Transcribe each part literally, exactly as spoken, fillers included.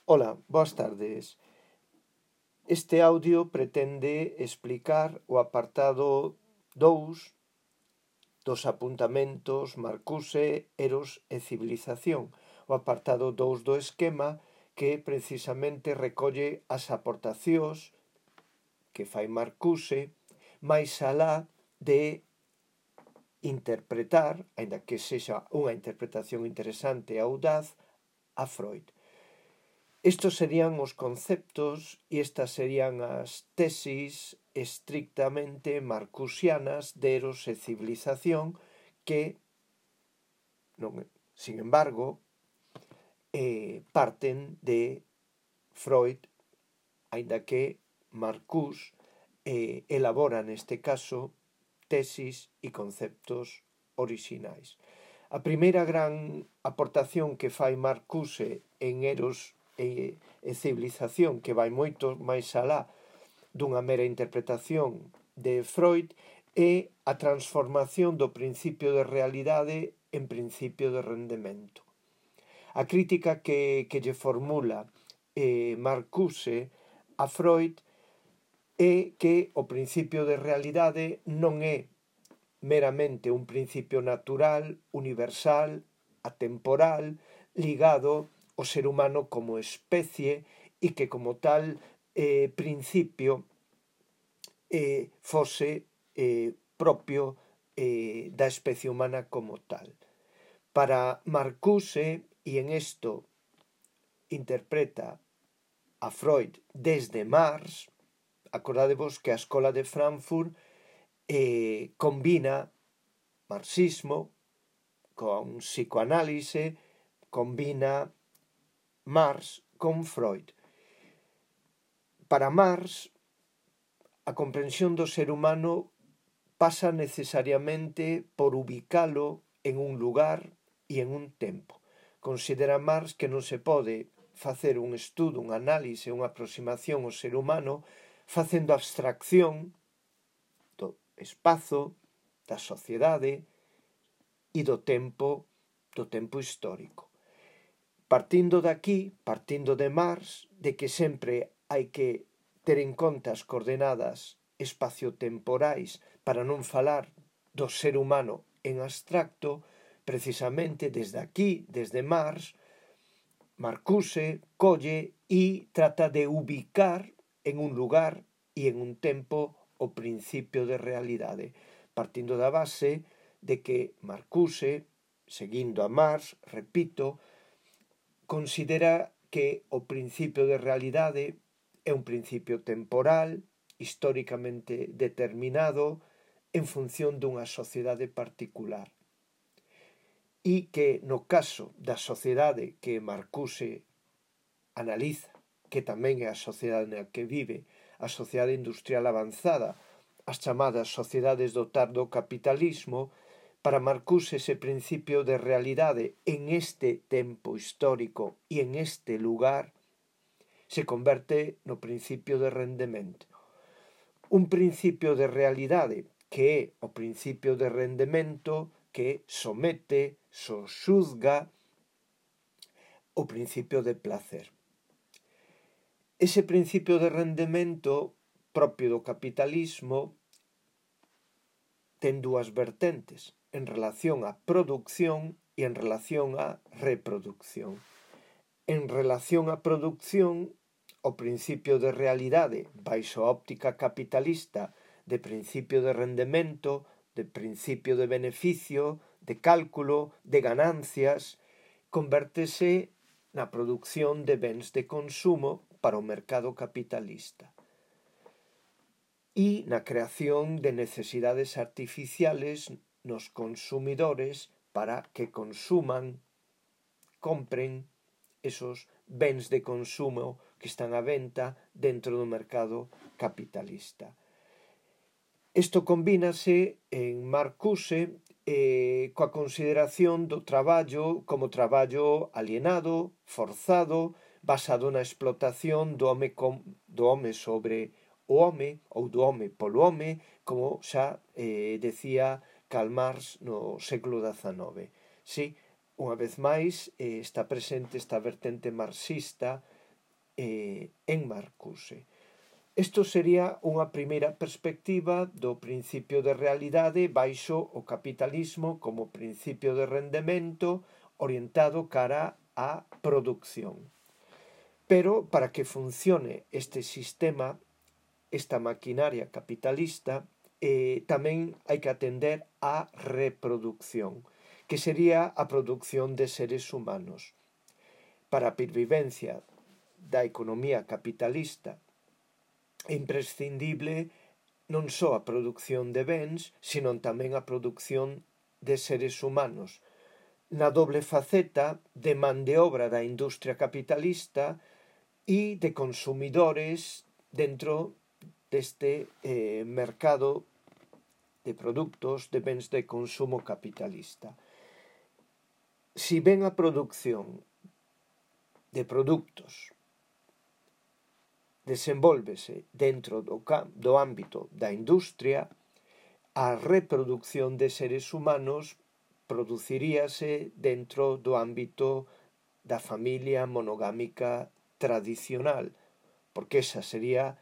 Ola, boas tardes. Este audio pretende explicar o apartado dous dos apuntamentos Marcuse, Eros e Civilización, o apartado dous do esquema que precisamente recolle as aportacións que fai Marcuse máis alá de interpretar, aínda que sexa unha interpretación interesante e audaz, a Freud. Estos serían os conceptos e estas serían as tesis estrictamente marcusianas de Eros e Civilización que, non, sin embargo, eh, parten de Freud, aínda que Marcuse eh, elabora neste caso tesis e conceptos orixinais. A primeira gran aportación que fai Marcuse en Eros e, e Civilización, que vai moito máis alá dunha mera interpretación de Freud, é a transformación do principio de realidade en principio de rendemento. A crítica que, que lle formula eh, Marcuse a Freud é que o principio de realidade non é meramente un principio natural, universal, atemporal, ligado ao ser humano como especie e que como tal eh, principio eh, fose eh, propio eh, da especie humana como tal. Para Marcuse, e en esto interpreta a Freud desde Marx, acordadevos que a Escola de Frankfurt eh, combina marxismo con psicoanálise, combina Marx con Freud. Para Marx, a comprensión do ser humano pasa necesariamente por ubicalo en un lugar e en un tempo. Considera Marx que non se pode facer un estudo, un análise, unha aproximación ao ser humano facendo abstracción do espazo, da sociedade e do tempo, do tempo histórico. Partindo de aquí, partindo de Marx, de que sempre hai que ter en conta as coordenadas espaciotemporais para non falar do ser humano en abstracto, precisamente desde aquí, desde Marx, Marcuse colle e trata de ubicar en un lugar e en un tempo o principio de realidade, partindo da base de que Marcuse, seguindo a Marx, repito, considera que o principio de realidade é un principio temporal, históricamente determinado, en función dunha sociedade particular. E que no caso da sociedade que Marcuse analiza, que tamén é a sociedade na que vive, a sociedade industrial avanzada, as chamadas sociedades do tardo capitalismo, para Marcuse ese principio de realidade en este tempo histórico e en este lugar se converte no principio de rendemento. Un principio de realidade que é o principio de rendemento que somete, sosuzga o principio de placer. Ese principio de rendemento propio do capitalismo ten dúas vertentes en relación á producción e en relación á reproducción. En relación á producción, o principio de realidade baixo a óptica capitalista de principio de rendemento, de principio de beneficio, de cálculo, de ganancias, convértese na produción de bens de consumo para o mercado capitalista e na creación de necesidades artificiales nos consumidores para que consuman, compren esos bens de consumo que están á venta dentro do mercado capitalista. Isto combínase en Marcuse eh, coa consideración do traballo como traballo alienado, forzado, basado na explotación do home, com, do home sobre o home ou do home polo home, como xa eh, decía Karl Marx no século dezanove. Sí, unha vez máis eh, está presente esta vertente marxista eh, en Marcuse. Isto sería unha primeira perspectiva do principio de realidade baixo o capitalismo como principio de rendemento orientado cara á produción. Pero para que funcione este sistema, esta maquinaria capitalista, eh, tamén hai que atender á reproducción, que sería a produción de seres humanos. Para a pervivencia da economía capitalista é imprescindible non só a produción de bens, sino tamén a produción de seres humanos, na doble faceta de man de obra da industria capitalista e de consumidores dentro deste eh, mercado de produtos de bens de consumo capitalista. Si ben a produción de produtos desenvólvese dentro do, do ámbito da industria, a reproducción de seres humanos produciríase dentro do ámbito da familia monogámica tradicional, porque esa sería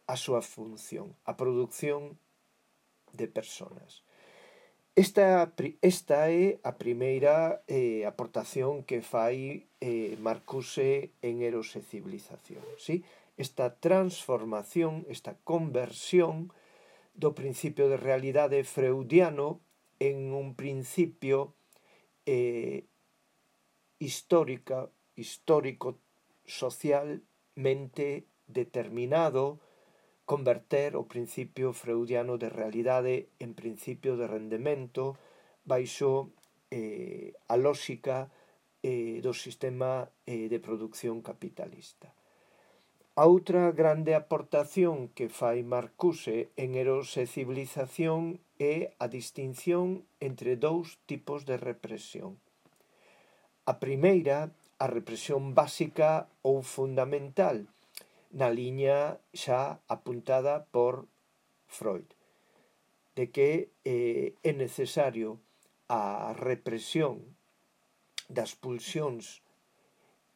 a súa función, a produción de personas. Esta, esta é a primeira eh, aportación que fai eh, Marcuse en Eros e Civilización, ¿sí? Esta transformación, esta conversión do principio de realidade freudiano en un principio eh, histórica, histórico, socialmente determinado, converter o principio freudiano de realidade en principio de rendemento baixo eh, a lógica eh, do sistema eh, de produción capitalista. A outra grande aportación que fai Marcuse en Eros e Civilización é a distinción entre dous tipos de represión. A primeira, a represión básica ou fundamental, na liña xa apuntada por Freud, de que eh, é necesario a represión das pulsións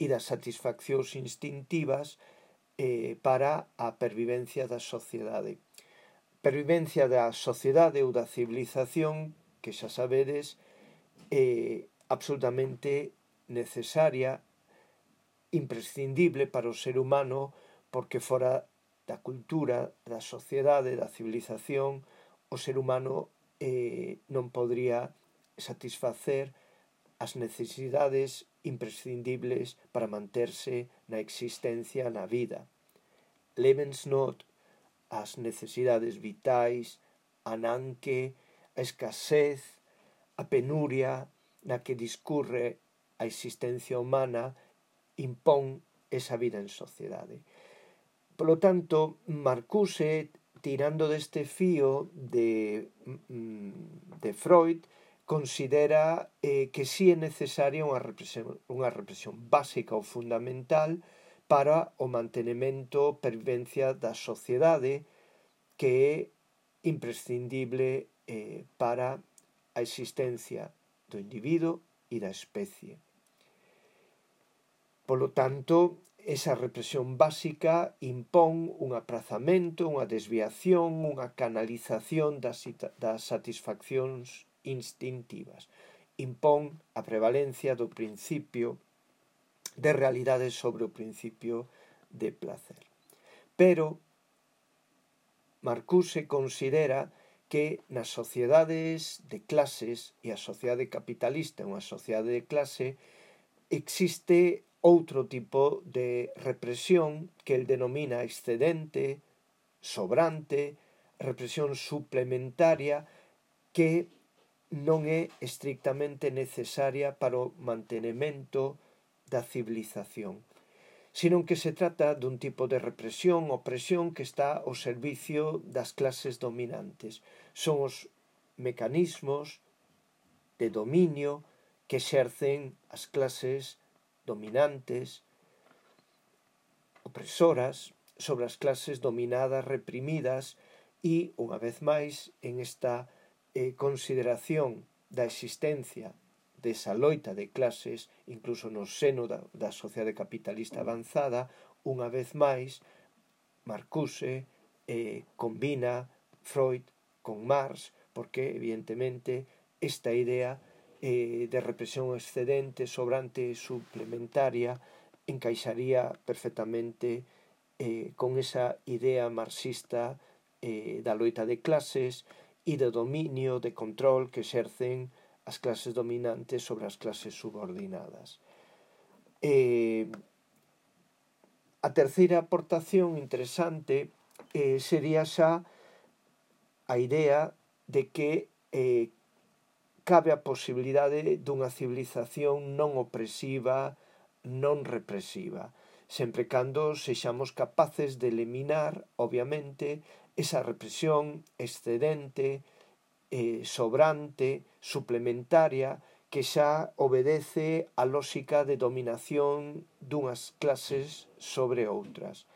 e das satisfaccións instintivas eh, para a pervivencia da sociedade. Pervivencia da sociedade ou da civilización, que xa sabedes, é absolutamente necesaria, imprescindible para o ser humano, porque fora da cultura, da sociedade, da civilización, o ser humano eh, non podría satisfacer as necesidades imprescindibles para manterse na existencia na vida. Lebensnot, as necesidades vitais, a nanque, a escasez, a penuria na que discurre a existencia humana impón esa vida en sociedade. Polo tanto, Marcuse, tirando deste fío de, de Freud, considera eh, que sí é necesaria unha represión, unha represión básica ou fundamental para o mantenimento, pervivencia da sociedade, que é imprescindible eh, para a existencia do individuo e da especie. Polo tanto, esa represión básica impón un aprazamento, unha desviación, unha canalización das, das satisfaccións instintivas. Impón a prevalencia do principio de realidade sobre o principio de placer. Pero Marcuse considera que nas sociedades de clases, e a sociedade capitalista é unha sociedade de clase, existe outro tipo de represión que el denomina excedente, sobrante, represión suplementaria, que non é estrictamente necesaria para o mantenimento da civilización, sino que se trata dun tipo de represión ou opresión que está ao servicio das clases dominantes. Son os mecanismos de dominio que exercen as clases dominantes, opresoras, sobre as clases dominadas, reprimidas, e, unha vez máis, en esta eh, consideración da existencia desa loita de clases, incluso no seno da, da sociedade capitalista avanzada, unha vez máis, Marcuse eh, combina Freud con Marx, porque, evidentemente, esta idea eh, de represión excedente, sobrante, suplementaria, encaixaría perfectamente eh, con esa idea marxista eh, da loita de clases e do dominio, de control que exercen as clases dominantes sobre as clases subordinadas. Eh, a terceira aportación interesante eh, sería xa a idea de que eh, cabe a posibilidade dunha civilización non opresiva, non represiva, sempre cando sexamos capaces de eliminar, obviamente, esa represión excedente, eh, sobrante, suplementaria, que xa obedece á lógica de dominación dunhas clases sobre outras.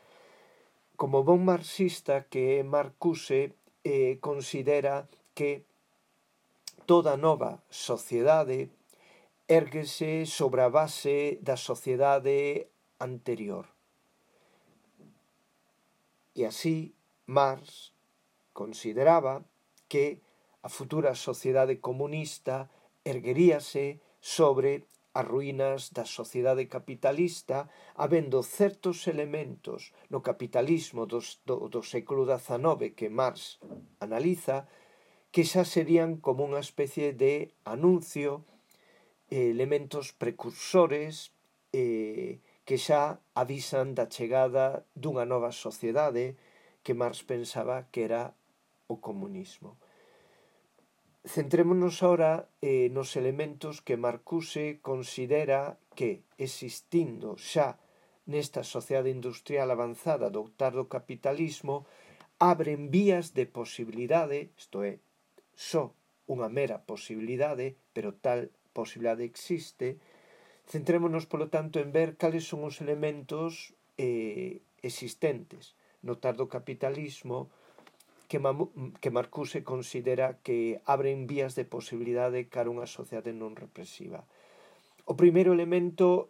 Como bon marxista que é Marcuse, eh, considera que toda nova sociedade érguese sobre a base da sociedade anterior. E así Marx consideraba que a futura sociedade comunista ergueríase sobre as ruínas da sociedade capitalista, habendo certos elementos no capitalismo dos, do, do século dezanove que Marx analiza, que xa serían como unha especie de anuncio, eh, elementos precursores eh, que xa avisan da chegada dunha nova sociedade que Marx pensaba que era o comunismo. Centrémonos ahora eh, nos elementos que Marcuse considera que, existindo xa nesta sociedade industrial avanzada do tardo capitalismo, abren vías de posibilidade, isto é, só unha mera posibilidade, pero tal posibilidade existe. Centrémonos, polo tanto, en ver cales son os elementos eh, existentes no tardo capitalismo que, que Marcuse considera que abren vías de posibilidade cara a unha sociedade non represiva. O primeiro elemento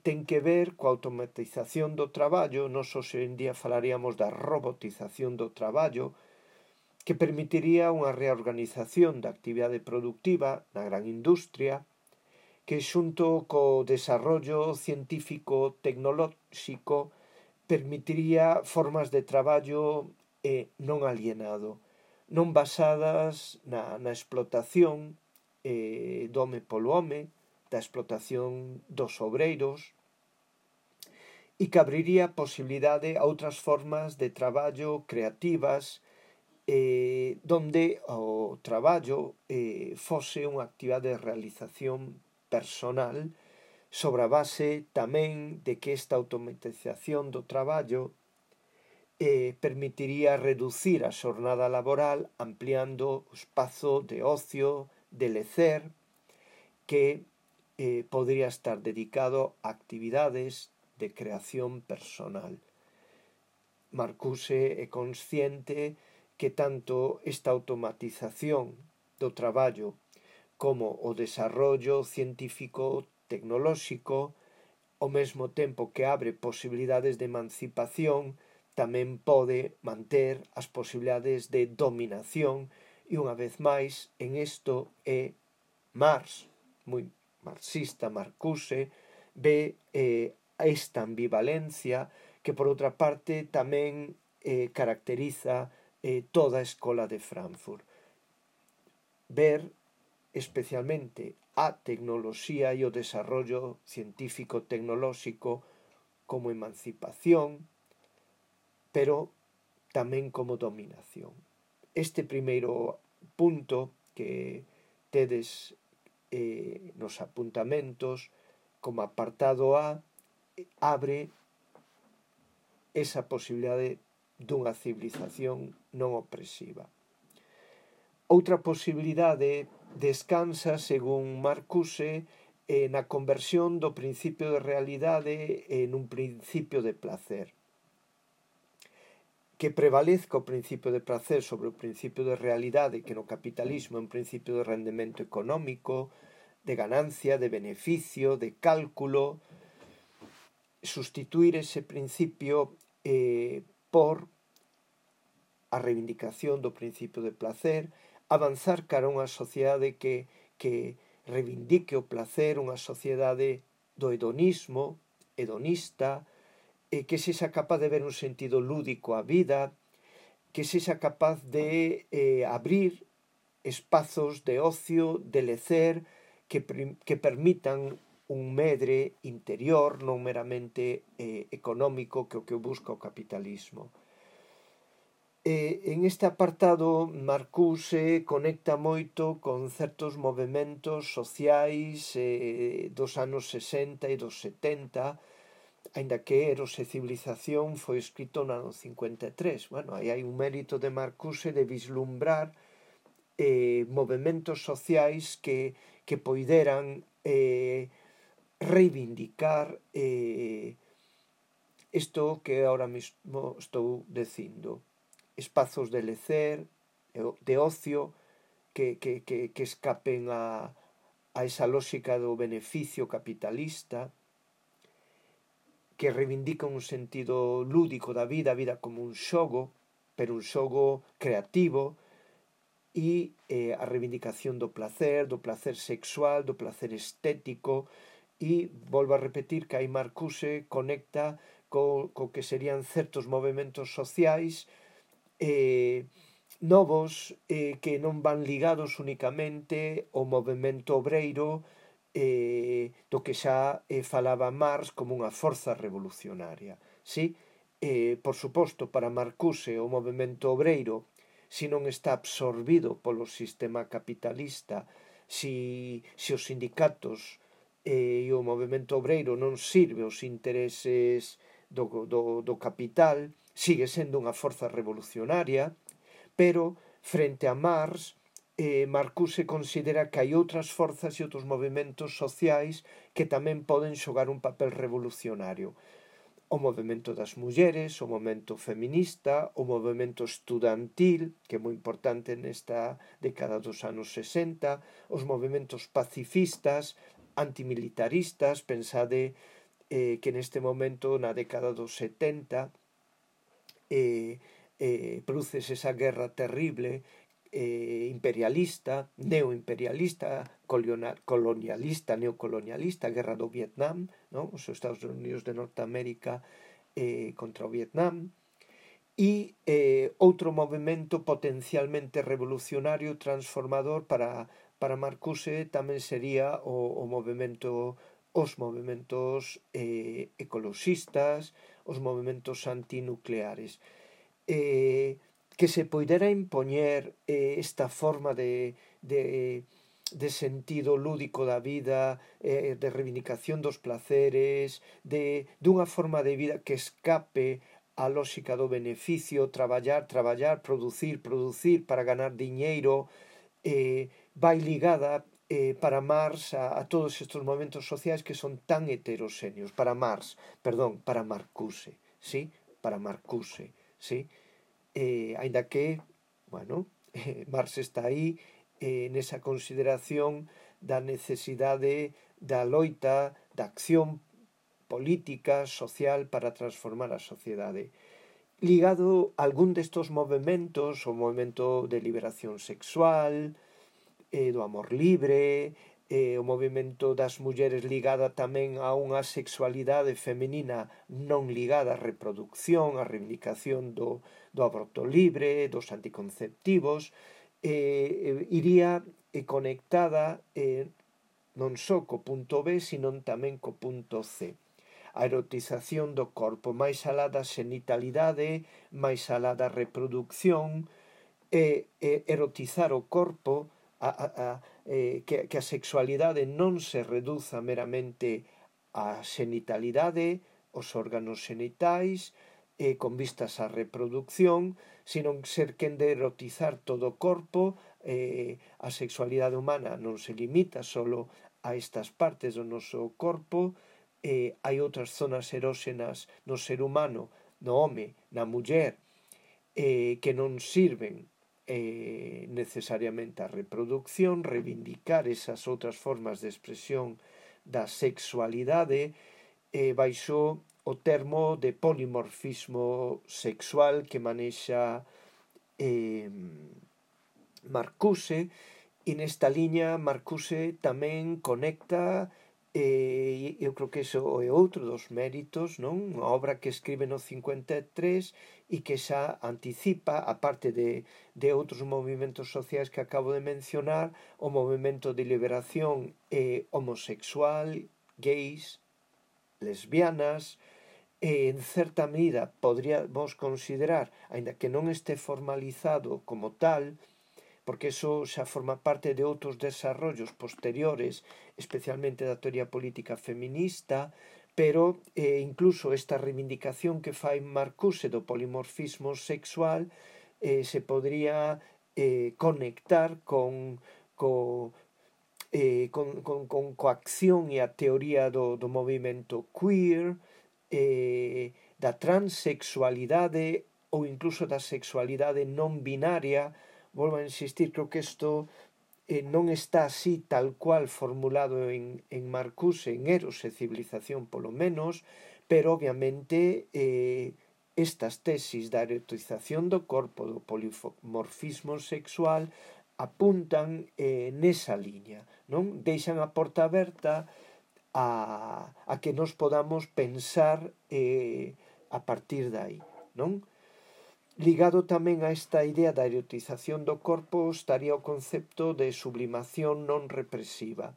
ten que ver coa automatización do traballo. Nos hoxe en día falaríamos da robotización do traballo, que permitiría unha reorganización da actividade productiva na gran industria, que xunto co desarrollo científico tecnolóxico permitiría formas de traballo eh, non alienado, non basadas na, na explotación eh, do home polo home, da explotación dos obreiros, e que abriría posibilidade a outras formas de traballo creativas, eh, donde o traballo eh, fose unha actividade de realización personal, sobre a base tamén de que esta automatización do traballo eh, permitiría reducir a xornada laboral, ampliando o espazo de ocio, de lecer, que eh, podría estar dedicado a actividades de creación personal. Marcuse é consciente que tanto esta automatización do traballo como o desarrollo científico tecnolóxico, ao mesmo tempo que abre posibilidades de emancipación, tamén pode manter as posibilidades de dominación, e unha vez máis en isto é Marx, moi marxista, Marcuse, ve eh, esta ambivalencia que por outra parte tamén eh, caracteriza eh, toda a escola de Frankfurt. Ver especialmente a tecnoloxía e o desarrollo científico tecnolóxico como emancipación, pero tamén como dominación. Este primeiro punto que tedes eh, nos apuntamentos como apartado A abre esa posibilidade dunha civilización non opresiva. Outra posibilidade descansa, según Marcuse, eh, na conversión do principio de realidade en un principio de placer. Que prevalezca o principio de placer sobre o principio de realidade, que no capitalismo é un principio de rendemento económico, de ganancia, de beneficio, de cálculo, sustituir ese principio eh, por a reivindicación do principio de placer, avanzar cara a unha sociedade que, que reivindique o placer, unha sociedade do hedonismo, hedonista, eh, que sexa capaz de ver un sentido lúdico á vida, que sexa capaz de eh, abrir espazos de ocio, de lecer, que, que permitan un medre interior, non meramente eh, económico, que o que busca o capitalismo. Eh, en este apartado, Marcuse conecta moito con certos movementos sociais eh, dos anos sesenta e dos setenta, aínda que Eros e civilización foi escrito no ano cincuenta e tres. Bueno, aí hai un mérito de Marcuse de vislumbrar eh, movementos sociais que, que poideran eh, reivindicar eh, isto que ahora mesmo estou dicindo. Espazos de lecer, de ocio, que, que, que, que escapen a, a esa lógica do beneficio capitalista, que reivindican un sentido lúdico da vida, a vida como un xogo, pero un xogo creativo, e eh, a reivindicación do placer, do placer sexual, do placer estético, e volvo a repetir que aí Marcuse conecta co, co que serían certos movimentos sociais eh, novos eh, que non van ligados únicamente ao movimento obreiro eh, do que xa eh, falaba Marx como unha forza revolucionaria. Sí? Eh, por suposto, para Marcuse o movimento obreiro, se non está absorbido polo sistema capitalista, se, se os sindicatos eh, e o movimento obreiro non sirve os intereses do, do, do capital, sigue sendo unha forza revolucionaria, pero frente a Marx, eh, Marcuse considera que hai outras forzas e outros movimentos sociais que tamén poden xogar un papel revolucionario. O movimento das mulleres, o movimento feminista, o movimento estudantil, que é moi importante nesta década dos anos sesenta, os movimentos pacifistas, antimilitaristas, pensade eh, que neste momento, na década dos setenta, eh, eh, produces esa guerra terrible eh, imperialista, neoimperialista, colonialista, neocolonialista, guerra do Vietnam, ¿no? Os Estados Unidos de Norteamérica eh, contra o Vietnam, e eh, outro movimento potencialmente revolucionario, transformador para, para Marcuse tamén sería o, o movimento os movimentos eh, ecoloxistas, os movimentos antinucleares. Eh, que se poidera impoñer eh, esta forma de, de, de sentido lúdico da vida, eh, de reivindicación dos placeres, de dunha forma de vida que escape a lógica do beneficio, traballar, traballar, producir, producir para ganar diñeiro, eh, vai ligada eh, para Marx a, a todos estes momentos sociais que son tan heteroxéneos. Para Marx, perdón, para Marcuse, ¿sí? Para Marcuse, ¿sí? Eh, aínda que, bueno, eh, Marx está aí eh, nesa consideración da necesidade da loita, da acción política, social para transformar a sociedade. Ligado a algún destos movimentos, o movimento de liberación sexual, eh, do amor libre, eh, o movimento das mulleres ligada tamén a unha sexualidade femenina non ligada á reproducción, á reivindicación do, do aborto libre, dos anticonceptivos, eh, iría eh, conectada eh, non só co punto B, sino tamén co punto C. A erotización do corpo, máis alá da xenitalidade, máis alá da reproducción, e, e erotizar o corpo, a, a, a, eh, que, que a sexualidade non se reduza meramente á xenitalidade, os órganos xenitais, eh, con vistas á reproducción, sino ser quen de erotizar todo o corpo. Eh, a sexualidade humana non se limita solo a estas partes do noso corpo, eh, hai outras zonas eróxenas no ser humano, no home, na muller, eh, que non sirven eh, necesariamente a reproducción, reivindicar esas outras formas de expresión da sexualidade, eh, baixo o termo de polimorfismo sexual que manexa eh, Marcuse, e nesta liña Marcuse tamén conecta, e eu creo que iso é outro dos méritos, non? Unha obra que escribe no cincuenta e tres e que xa anticipa, a parte de, de outros movimentos sociais que acabo de mencionar, o movimento de liberación eh, homosexual, gays, lesbianas, e en certa medida podríamos considerar, aínda que non este formalizado como tal, porque eso xa forma parte de outros desarrollos posteriores, especialmente da teoría política feminista, pero eh, incluso esta reivindicación que fai Marcuse do polimorfismo sexual eh, se podría eh, conectar con, co, eh, con, con, con coacción e a teoría do, do movimento queer, eh, da transexualidade ou incluso da sexualidade non binaria. Volvo a insistir, creo que isto eh, non está así tal cual formulado en, en Marcuse, en Eros e Civilización polo menos, pero obviamente eh, estas tesis da erotización do corpo, do polimorfismo sexual, apuntan eh, nesa liña, non? Deixan a porta aberta a, a que nos podamos pensar eh, a partir de aí, non? Ligado tamén a esta idea da erotización do corpo estaría o concepto de sublimación non represiva,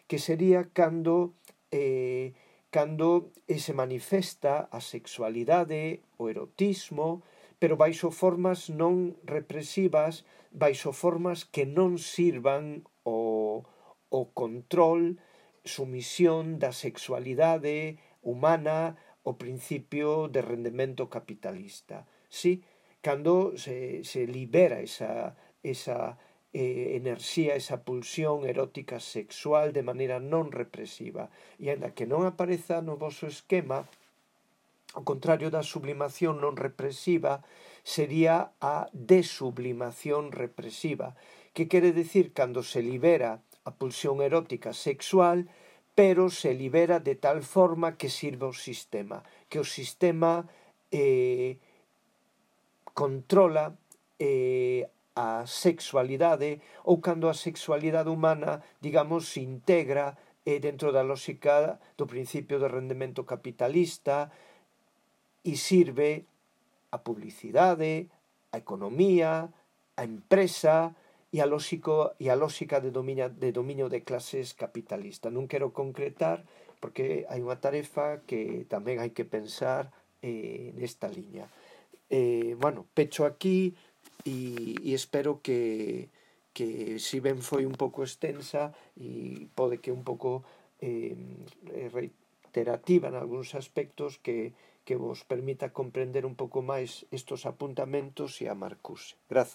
que sería cando, eh, cando se manifesta a sexualidade, o erotismo, pero baixo formas non represivas, baixo formas que non sirvan o, o control, sumisión da sexualidade humana ao principio de rendemento capitalista. Sí, cando se, se libera esa, esa eh, enerxía, esa pulsión erótica sexual de maneira non represiva. E ainda que non apareza no vosso esquema, ao contrario da sublimación non represiva, sería a desublimación represiva, que quere decir cando se libera a pulsión erótica sexual, pero se libera de tal forma que sirve ao sistema, que o sistema eh, controla eh, a sexualidade, ou cando a sexualidade humana, digamos, se integra eh, dentro da lógica do principio de rendemento capitalista e sirve a publicidade, a economía, a empresa e a, lógico, e a lógica de dominio, de dominio de clases capitalista. Non quero concretar porque hai unha tarefa que tamén hai que pensar eh, nesta liña. Eh, bueno, pecho aquí e, e espero que, que si ben foi un pouco extensa e pode que un pouco eh, reiterativa en algúns aspectos, que, que vos permita comprender un pouco máis estos apuntamentos e a Marcuse. Grazas.